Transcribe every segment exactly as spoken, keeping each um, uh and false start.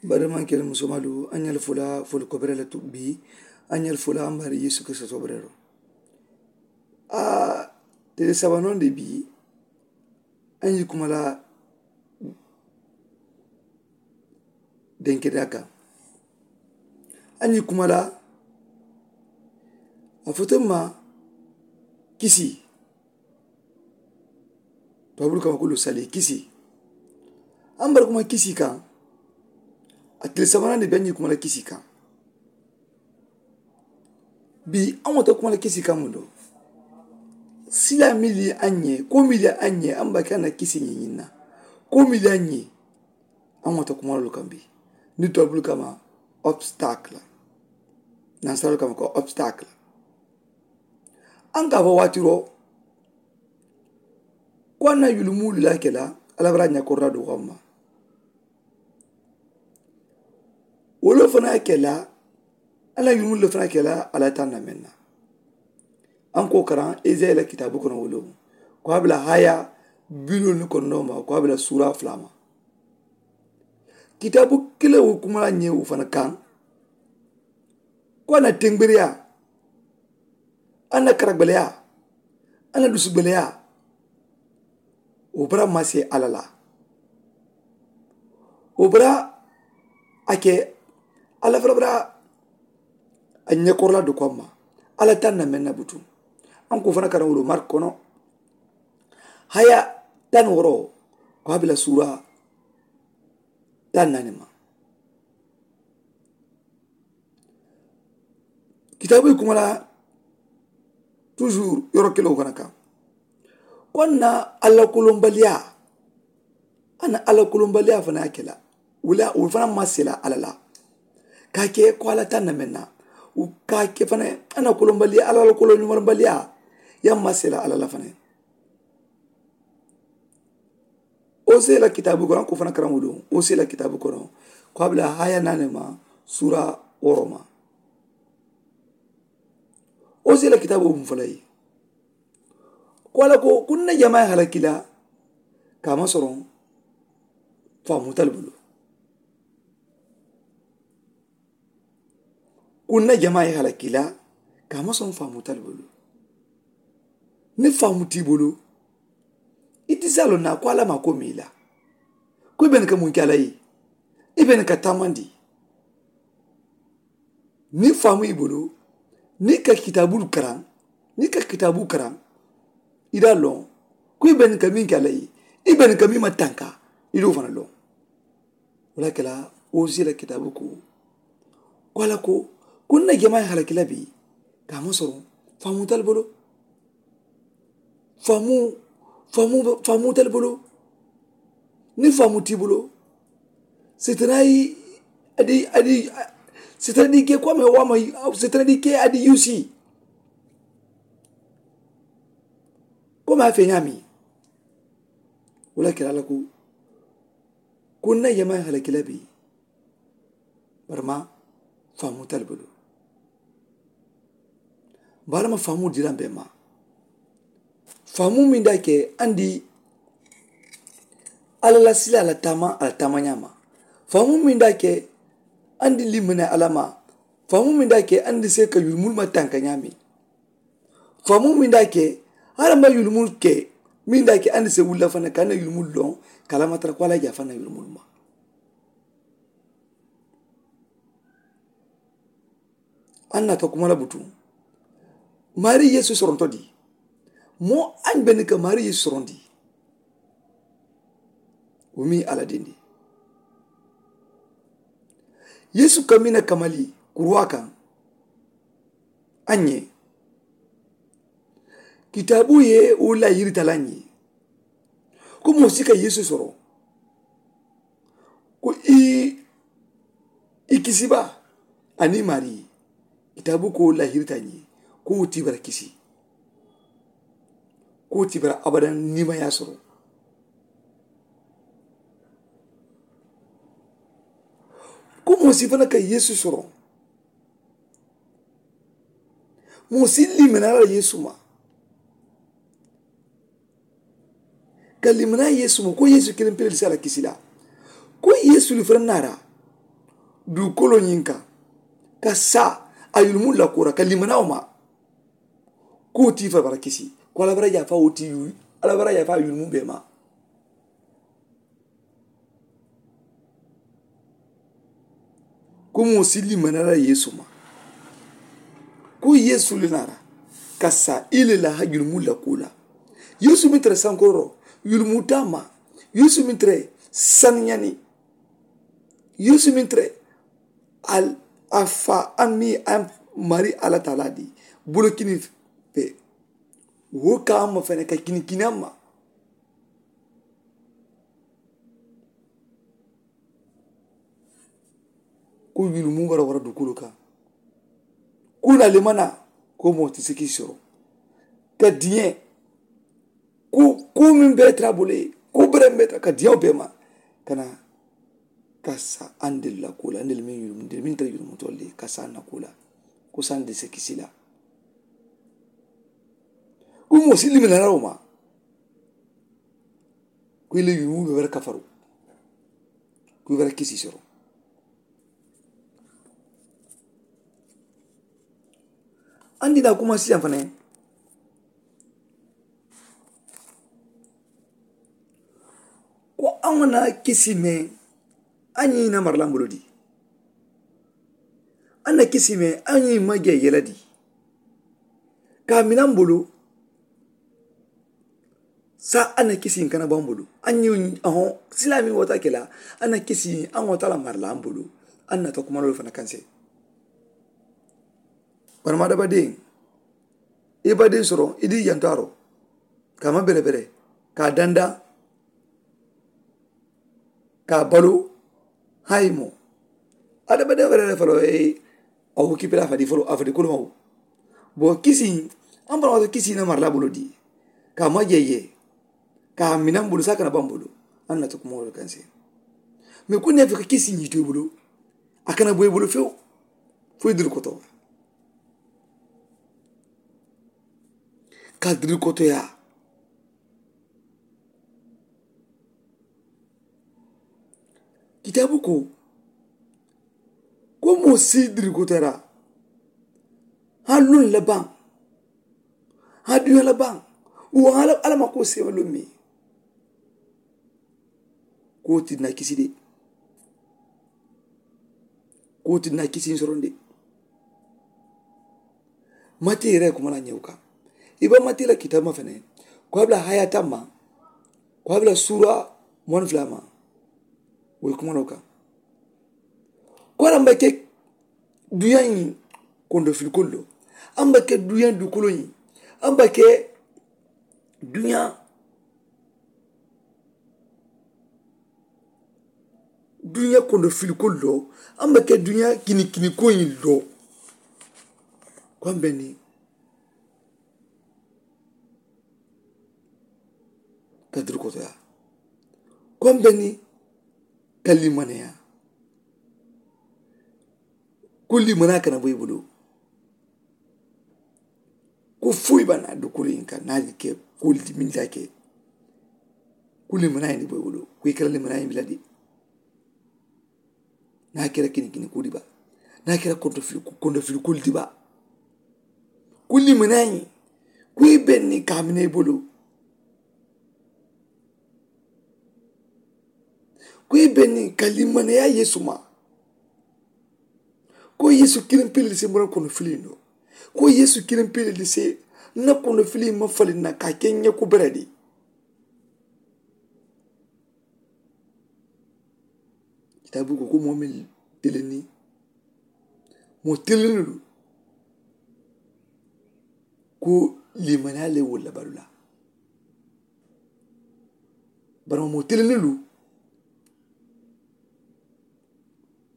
N baadimaŋ kele musomaalu, a ñaali fula fuli kobere le tu bii. A ñaali fula a mari yesu kese sobere lo. A tele sabanoŋ de bii. A ñi kuma la denkeda kaŋ. A ñi kuma la a foto ma kisi. Tuwabulu kama kulu sali kisi. An bari kuma kisi kaŋ. A tile sabanaŋ de be ñi kuma la kisi kaŋ. Bi an wata kuma la kisi kaŋ mundo. Sila mili an ñe ko mili an ñe an baki an na kisi ñiñin na. Ko mili an ñe an wata kuma lu kaŋ bi. Ni tuwabulu kama obstacle. Nan salu kama ko obstacle. An ka fo waati ro ko an na yulumulu la kela. Ala bara ña korra do wamma. Wolo fana kela. An na yulumulu fana kela ala tan na menna. An ko karan ezeyi la kitabu kono wolo ko abla haya. Bilolu kono ma ko abla sura flama. Kitabu kile wo kuma la ñe wo fana kan. Ko an na tembiriya. An na karagbaliya. An na dusugbaliya. Wo bara mase ala la. Wo bara a ke. Ala fara bara a ñekorola do ko amma. Ala tan na menna butu. An ko fana kana wolo mark kono. Haya tan woro ko abila sura tan nani ma. Kitaabu ye kuma la. Toujours yoro kilo kana kan. Ko na alla kolonbaliya. Ana alla kolonbaliya fana kela. Wala wala fana masela alla la. Ka ke ko alla tan na menna. Ka ke fana ana kolonbaliya alla kolonbaliya. Ya masela alla la fana. Ose la kitaabu kono ko fana karaŋo loŋ ose la kitaabu kono. Ko a bila haya naani ma sura woro ma. Ose la kitaabu mu fala ye. Ko a la ko kunna jamaa ye halakila. Ka ma soroŋ. Faamu tali bulu. Ko n na jamaa ye halaki la. Ka a maŋ soŋ faamu tali bulu. Niŋ faamu ti i bulu. I ti si a loŋ na ko alla maa ko miŋ i la. Ko i be ne ka muŋ ke alla ye. I be ne ka taamandi. Niŋ faamu i bulu. Niŋ ka kitaabulu karaŋ. Niŋ ka kitaabulu karaŋ. I daa loŋ. Ko i be ne ka miŋ ke alla ye. I be ne ka miŋ ma tanka. I doo fana loŋ. Wala kela wo si la kitaabu ko. Ko alla ko ko n na jamaa ye halaki la bi. Ka a maŋ soroŋ faamu tali bolo. Faamu faamu faamu tali bolo. Niŋ faamu ti bolo. Sitana yi adi adi. Sitana di ke ko a ma wa ma sitana di ke adi yusi. Ko ma fe ñaami. Wala kela alla ko. Ko n na jamaa ye halaki la bi. Bari ma faamu tali bulu. Bari ma faamu diraŋ be ma. Faamu miŋ daa ke andi. Alla la sila alla taama alla taama ñaama. Faamu miŋ daa ke andi limina alla ma. Faamu miŋ daa ke andi se ka yulumulu ma tanka ñaami. Faamu miŋ daa ke alla ma yulumulu ke. Miŋ daa ke andi se wulla fana ka na yulumulu loŋ. Ka alla ma tara ko alla jaa fana yulumulu ma. An nata kuma la butu. Maarii yeesu soronto di. Moo añ be ni ka maarii yeesu sorondi. Wo miŋ alla dendi. Yeesu ka mina kamali kuruwaa kaŋ. Añe. Kitaabu ye wo la yirita la ñe. Ko moo si ka yeesu soro. Ko i i kisiba. Aniŋ maarii kitaabu ko lahirita ñe. Ko wo tibara kisi. Ko wo tibara abadaŋ nimayaa soro. Ko moo si fana ka yeesu soro. Moo si liminaa la yeesu ma. Ka liminaa yeesu ma ko yeesu kiliŋ pele li si a la kisi la. Ko yeesu li fanaŋ naara. duukoloo ñiŋ kaŋ ka saa a yulumu la kura ka limanaa wo ma. Ko wo tii fo a bara kisi ko alla bara yaafa wo tii yuu alla bara yaafa a yulumu bee ma. Ko moo si limanaa la yeesu ma ko yeesu le naara ka saa i le la ha yulumu la ko la. Yeesu meŋ tara sankoroo yulumu taa ma. Yeesu meŋ tara saniyaani. Yeesu meŋ tara a faa a miŋ a mari alla taalaa di bulu kini fee. Wo ka a ma fene ka kini kini a ma. Ko yulumu bara wara dukulu kaŋ. Ko na limana ko moo ti siki soro ka diŋe. Ko ko meŋ bee tara bulu ye ko bere meŋ bee tara ka diŋo bee ma ka na ka sa andelu la ko la andelu meŋ yulumu ndelu meŋ tara yulumutolu le ka sa na ko la. Ko sa ndelu se kisi la. Ko moo si limina la wo ma. Ko i le yulumu be wara kafaru ko i wara kisi soro. Andi na kuma siyaŋ fanaŋ ko aŋo na kisi meŋ a ñiŋ i na maralaŋ bulu di. A na kisi meŋ a ñiŋ ma je yela di ka a minaŋ bulu. Sa a na kisiŋ kana baŋ bulu a ñiŋ a ho silaa meŋ wota ke la. A na kisiŋ a ŋota la maralaŋ bulu. A na ta kuma doolu fana kanse. Barama dabadeŋ i badeŋ soro i di yantaaro ka ma bere bere ka danda ka balu. Hayi mo adamadeŋ were le folo a wo kipira a fadi folo a fadi kuluma wo. Bo kisi an bara wato kisi na marla bulu di ka ma jeye ka mina bulu sa kana ban bulu. An na to kuma wala kanse me ko ne fika kisi ni to bulu a kana boy bulu few. Fo dul koto ka dul koto ya. Kitaabu ko ko moo si dirikotara ha luŋ la baŋ ha duña la baŋ wo ha la alla ma ko seema luŋ mi. Ko wo ti na kisi de. Ko wo ti na kisi soroŋ de. Mati yere kuma la ñew kaŋ i ba mati la kitaabu ma fene ko a bila haya tamma ko a bila sura moni fula ma. Wo kuma no kaŋ ko a la mba ke duña ñi kondo filikolu lo a mba ke duña dukolo ñi a mba ke duña duña kondo filikolu lo a mba ke duña kini kini ko ñi lo. Ko a mbe ni ka duru kotoya ko a mbe ni ka limaneya. Ko limaneya kana bo i bulu. Ko foyi ba na dukulu in ka na ke ko liminta ke. Ko limaneya ni bo i bulu ko i kala limaneya bila di. Na kira kini kini kudi ba na kira kondo fili kondo fili kuli di ba. Kuli manayi. Ku i benni kamine bulu. Ku i benni ka limaneya yesu ma. Ko yesu kirin pili di se mura kondo fili no. Ko yesu kirin pili di se na kondo fili ma fali na ka kenya ku beredi. Kitaabu ko ko moo meŋ telenni moo telenni lu. Ko limaniyaa le wo labalu la. Bari moo telenni lu.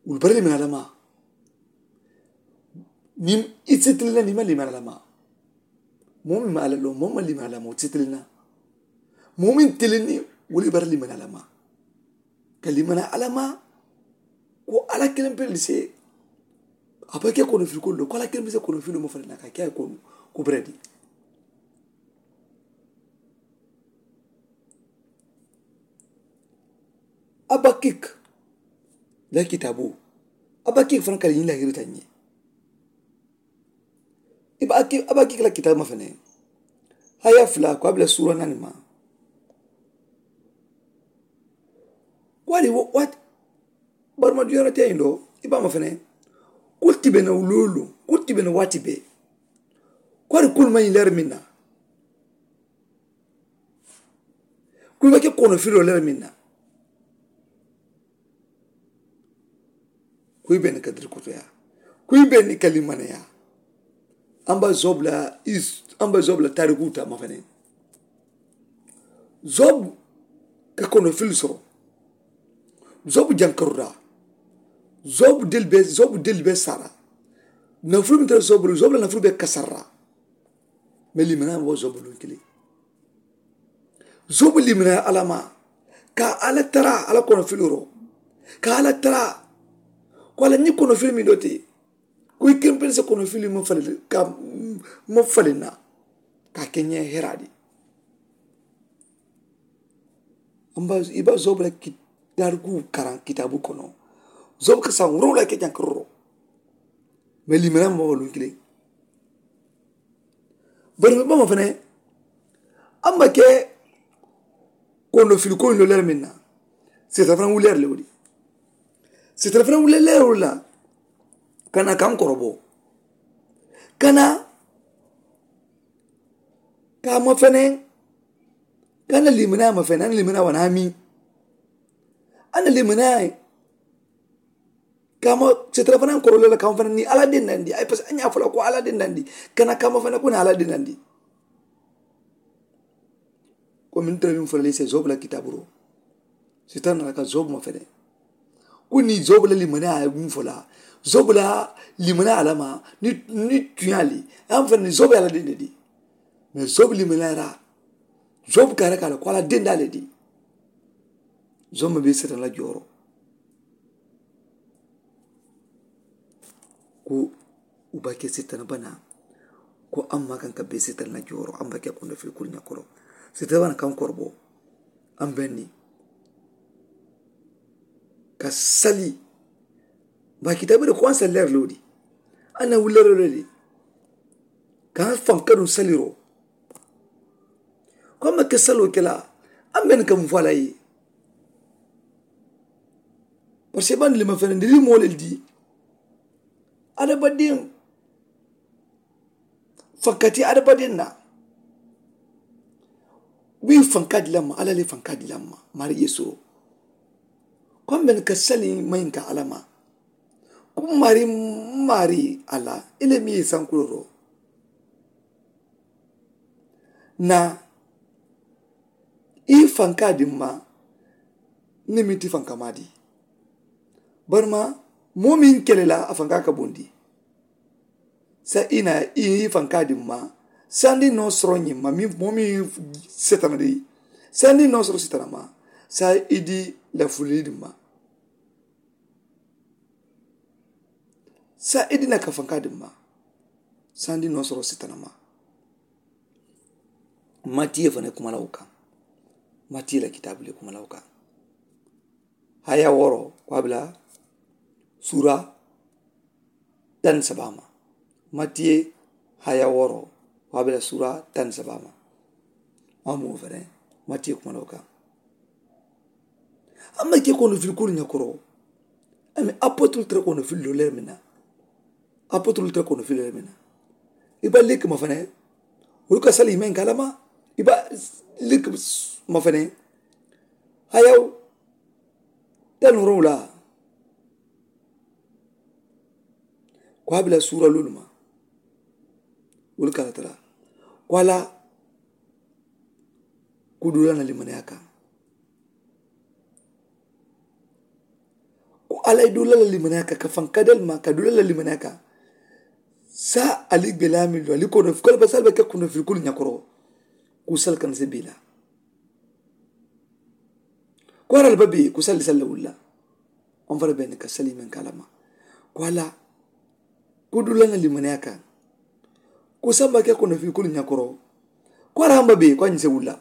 Wolu bari limaniyaa lama. Niŋ i si telenna niŋ i ma limaniyaa lama. Moo meŋ ma alla loŋ moo ma limaniyaa lama wo si telenna. Moo meŋ telenni wo le bari limaniyaa lama. Ka limana alla ma ko alla kiliŋ pele se. A be ke kono fili ko lo ko alla kiliŋ pele se kono fili mo fana na ka ke a ye kono ko beredi. Abakik la kitabo. A be a ke fanaŋ ka le ñiŋ lahirita ñe. I be a ke a be a ke la kitaabu ma fanaŋ. Haya fula ko a be la suura naani ma. Ko a di wo waati barima duniyaa te ñiŋ do i be a ma fanaŋ. Kulu ti be na loolu kulu ti be na waati bee. Ko a di kulu ma ñiŋ leeri meŋ na. Kuyi be ke kono filoo le meŋ na. Kuyi be ni ka diri kotoyaa. Kuyi be ni ka limaneyaa. An ba zobu la is an ba zobu la taariku ta ma fanaŋ. Zobu ka kono fili soro. Zobu jankarura. Zobu deli be zobu deli be sara. Nafulu mita zobu zobu la nafulu be kasara. Me limaneyaa mo zobu lun kili. Zobu limaneyaa alama ka ala tara ala kono filuro ka ala tara. Ko ala ni kono fili mi doti. Ko i kempel se kono fili mo fali ka mo fali na ka kenye heradi. Amba iba zobu la ki dargu karan kitabu kono. Zobu ka san wuro la ke jankro. Me limaneyaa mo lun kili. Bari be bama fanaŋ. An ma ke kondo fili ko lo leer meŋ na. Setara fanaŋ wuleer le wo di. Setara fanaŋ wuleer le wo la. Kana kaŋ korobo kana. Ka ma fanaŋ. Kana limanaa ma fanaŋ limanaa wana mi. Ana limanaa. Kama setara fanaŋ koro le la kama fanaŋ ni ala dendandi ay parce que a ñaa fo la ko ala dendandi. Kana kama fanaŋ ko na ala dendandi. Ko min tara min fo la lise zobu la kitaburo. Setara na la ka zobu ma fene. Ko ni zobu la limane a min fo la zobu la limane alama ni ni tuyali. Am fanaŋ ni zobu ala dendandi. Mais zobu limane ra zobu kare kala ko ala dendale di. Zoma be setara la joro. Ko u ba ke sitana bana. Ko amma kan ka be sitana na joro amma ke kondo fil kul ñakoro. Sitana bana kan korbo. An benni ka sali. Ba kitabe de ko an saller lodi. Ana wullero lodi. Ka fan kadun saliro. Ko amma ke salo kela. An benni ka mu fala yi. Parce que bandi lima fene ndi limo le di. Adabadiŋ fankati adabadiŋ na. Wi fanka di lamma ala le fanka di lamma. Mari yesu. Ko men ka sali mayin ka alama. Ko mari mari ala ile mi sankuloro. Na i fanka dimma. Ni mi ti fanka madi. Barima moo meŋ kele la a fanka ka bondi. Sa i na i fanka dimma. Sandi noo soro ñimma moo meŋ setana di. Sandi noo soro setana ma. Sa i di lafuli dimma. Sa i di na ka fanka dimma. Sandi noo soro setana ma. Matiye fana kumala wo kaŋ. Matiye la kitaabu le kumala wo kaŋ. Haya woro ko a bila sura. Tan sabama. Matiye haya woro ko a bila sura tan sabama. Amu fana matiye kumala wo kaŋ. Amma ke kono fil kulu ñakoro. Ami apotul tra kono fil lo lermina. Apotul tra kono fil lermina. Iba lik ma fana. Wulu ka sali men kalama. Iba lik ma fana. Hayaw. Tan wuro wula. Ko a bila sura lulu ma. Wulu ka tara. Ko ala. Ku dula na limaniya kaŋ. Ko ala ye dula la limaniya kaŋ ka faŋ kadal ma ka dula la limaniya kaŋ. Sa ali gela min lo ali kono ko ba sal be ke kono fi kul ñakoro. Ku sal kan se bila. Ko ara ba be ku sal sal wulla. On fara be ka sali men kalama. Ko ala. Ku dula na limaniya kaŋ. Ku samba ke kono fi kul ñakoro. Ko ara hamba be ko anyi se wulla.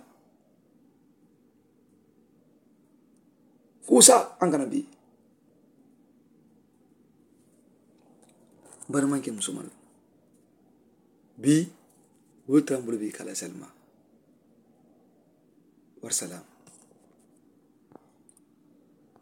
Fuusa aŋ kana bii. Bari maŋ ke musomaŋ la bii wolu tambulu bii kala salima. Wari salama.